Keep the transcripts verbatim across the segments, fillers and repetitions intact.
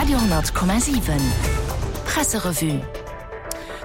Radio honnert Komma siwen Presserevue.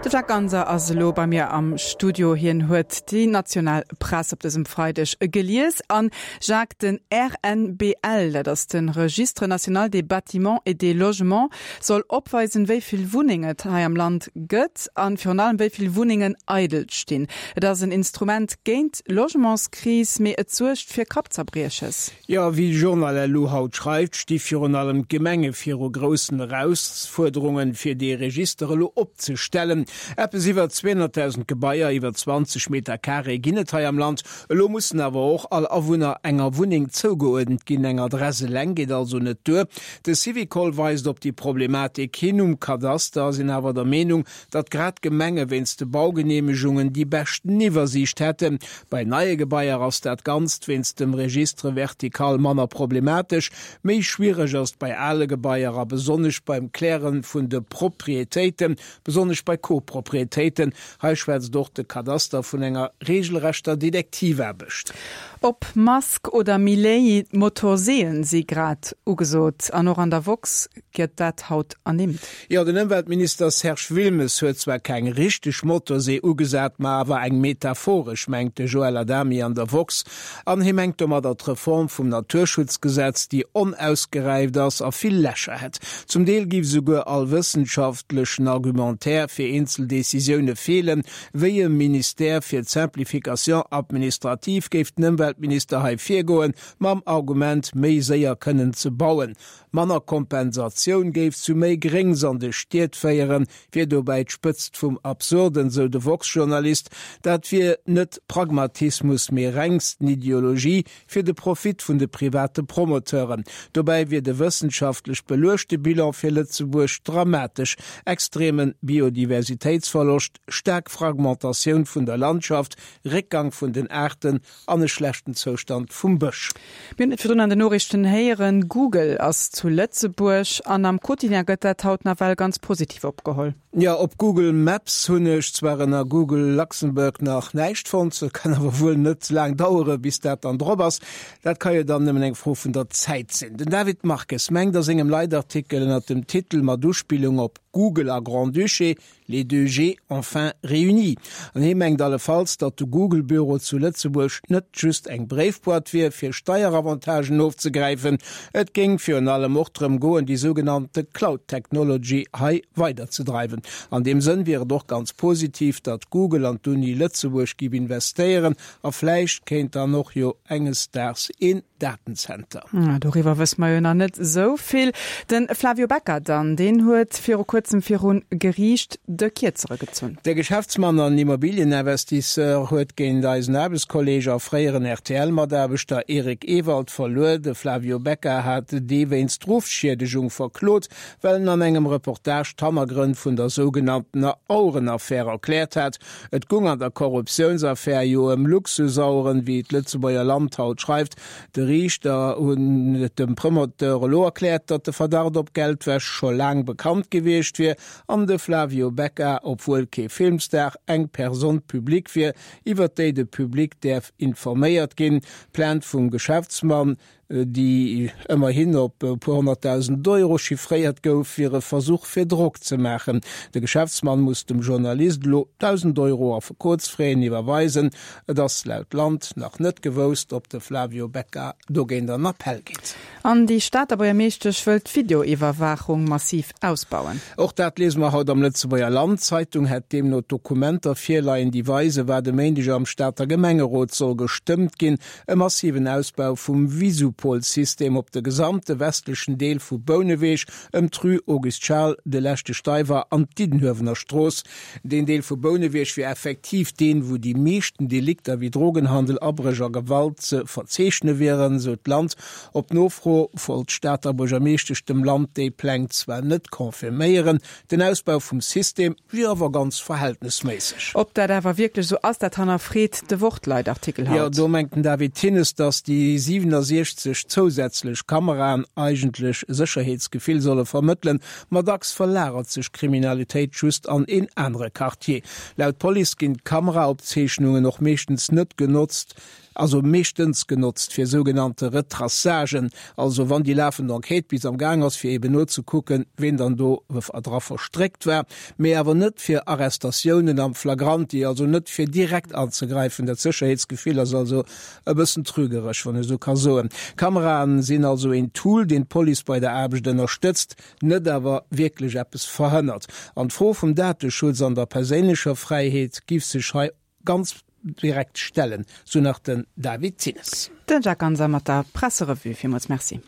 De Jacques Ganser ass elo bei mir am Studio. Hien huet déi national Press op dësem Freideg gelies. An Jacques, den R N B L, dat ass de Registre national des bâtiments et des logements, soll opweisen, wéi vill Wunnengen et hei am Land gëtt an virun allem wéi vill Wunnengen eidel stinn. Et ass en Instrument géint d'Logementskris, mee et suergt fir Kappzerbrieches. Jo, wéi Journal elo haut schreift, sti virun allem d'Gemenge viru groussen Erausfuerderungen, fir dee Register elo opzestellen. Eppes iwwer zweehonnertdausend Gebaier iwwer zwanzeg Meter Carré ginn et hei am Land. Elo mussen awer och all Awunner enger Wunneng zougeuerdent ginn. Eng Adress eleng geet also net duer. De Syvicol weist op déi Problematik hin. Um Kadaster sinn awer der Meenung, datt grad d'Gemenge wéinst de Baugeneemegungen déi beschten Iwwersiicht hätten. Bei neie Gebaier ass dat Ganzt wéinst dem Registre vertical manner problematesch. Méi schwiereg ass et bei ale Gebaier a besonnesch beim Kläre vun de Proprietéiten, besonnesch bei Koproprietéiten. Hei schwätzt och de Kadaster vun enger reegelrechter Detektivaarbecht. Ob Musk oder Milei, Motorseeën si grad ugesot an och an der Woxx gëtt dat haut ernimmt. Jo, den Ëmweltminister Serge Wilmes huet zwar keng richteg Motorsee ugesat, ma awer eng metaphoresch, mengt de Joël Adami an der Woxx. An hie mengt domadder d'Reform vum Naturschutzgesetz, déi onausgeräift ass a vill Lächer hätt. Zum Deel géif souguer all wëssenschaftlechen Argumentaire fir eenzel Decisioune feelen. Wéi e Ministère fir d'Simplification administrative géif den Ëmweltminister hei virgoen, mam Argument, méi séier kënnen ze bauen. Manner Kompensatioun géif zu méi Gréngs an de Stied féieren, wier dobäi d'Spëtzt vum Absurden, sou de woxx-Journalist. Dat wier net Pragmatismus, mee rengsten Ideologie fir de Profit vun de private Promoteuren. Dobäi wier de wëssenschaftlech beluechte Bilan fir Lëtzebuerg dramatesch, extreme Biodiversitéitsverloscht, staark Fragmentatioun vun der Landschaft, Réckgang vun den Aarten an e schlechten Zoustand vum Bësch. Mir hunn et virdrun an den Noriichten héieren, Google ass zu Lëtzebuerg an am Quotidien gëtt dat haut nawell ganz positiv opgeholl. Jo, op Google Maps hunn ech zwar ënner Google Luxembourg nach näischt fonnt, kann awer wuel net laang dauere bis dat dann drop ass. Dat ka jo dann nëmmen eng Fro vun der Zäit sinn. Den David Marques mengt a sengem Leitartikel ënner dem Titel mat Uspillung op Google a Grand-Duché, Les deux G enfin réunis. An hie mengt allefalls, datt de Google-Büro zu Lëtzebuerg net just eng Bréifboîte wier, fir Steieravantagen ofzegräifen. Et géing virun allem och drëm goen, déi sougenannte Cloud Technology hei weiderzedreiwen. An deem Sënn wier et och ganz positiv, datt Google an d'Uni Lëtzebuerg géif investéieren a vläicht kéint dann och jo enges Daags een Datenzenter. Doriwwer wësse mer jo nach net esou vill. De Flavio Becca dann, deen huet viru kuerzem viru Geriicht de Kierzere gezunn. De Geschäftsmann an Immobilieninvestisseur huet géint eisen Aarbechtskolleeg a fréieren R T L-Mataarbechter Eric Ewald verluer. De Flavio Becca hat dee wéinst Ruffschiedegung verklot, well en an engem Reportage d'Hannergrënn vun der sougenanntener Auerenaffär erkläert hat. Et goung an der Korruptiounsaffär jo ëm Luxusaueren, wéi d'Lëtzebuerger Land haut schreift. De Riichter hunn dem Promoteur elo erkläert, datt de Verdacht op Geldwäsch scho laang bekannt gewiescht wier an de Flavio Becca, obwuel kee Filmstar, eng Personne publique wier, iwwer déi de Public däerf informéiert ginn. D'Plainte vum Geschäftsmann, déi ëmmerhin op e puer honnertdausend Euro chiffréiert gouf, wier e Versuch fir Drock ze maachen. De Geschäftsmann muss dem Journalist elo dausend Euro Affekotsfraisen iwwerweisen. Et ass laut Land nach net gewousst, ob de Flavio Becca dogéint an Appell geet. An déi Stater Buergermeeschtesch wëllt d'Videoiwwerwaachung massiv ausbauen. Och dat liese mer haut am Lëtzebuerger Land. D'Zeitung hätt deemno Dokumenter virleien, déi weisen, wat e Méindeg am Stater Gemengerot soll gestëmmt ginn, e massiven Ausbau vum Visupol-System op de gesamte westlechen Deel vu Bouneweg, ëm d'Rue Auguste Schal, de Leschte Steiwer an d'Diddenhuewener Strooss. Deen Deel vu Bouneweg wier effektiv deen, wou déi meeschten Delikter wéi Drogenhandel, Abréch a Gewalt ze verzeechne wieren, sou d'Land. Op Nofro wollt d'Stater Buergermeeschtesch dem Land déi Pläng zwar net confirméieren, den Ausbau vum System wier awer ganz verhältnesméisseg. Ob dat awer wierklech sou ass, dat hannerfreet de Wort-Leitartikel Jo, haut. do mengt den David Thinnes, datt déi siwennesechzeg zousätzlech Kameraen eigentlech Sécherheetsgefill solle vermëttelen, ma dacks verlagert sech d'Kriminalitéit just an een anere Quartier. Laut Police ginn d'Kameraopzeechnungen och meeschtens net genotzt. also meeschtens genotzt fir sougenannte Retraçagen, also wann déi lafend Enquête bis am Gaang ass, fir eben nozekucken, ween dann do dra verstréckt war, mee awer net fir Arrestatiounen am Flagranti, also net fir direkt anzegräifen. Dat Sécherheetsgefill ass also e bëssen trügeresch, wann ech esou ka soen. Kameraen sinn also een Tool, deen d'Police bei der Aarbecht ënnerstëtzt, net awer wierklech eppes verhënnert. An d'Fro vum Dateschutz an der perséinlecher Fräiheet giff sech hei ganz direkt stellen, sou nach den David Thines. Den Jacques Ganser mat der Presserevue. Villmools Merci.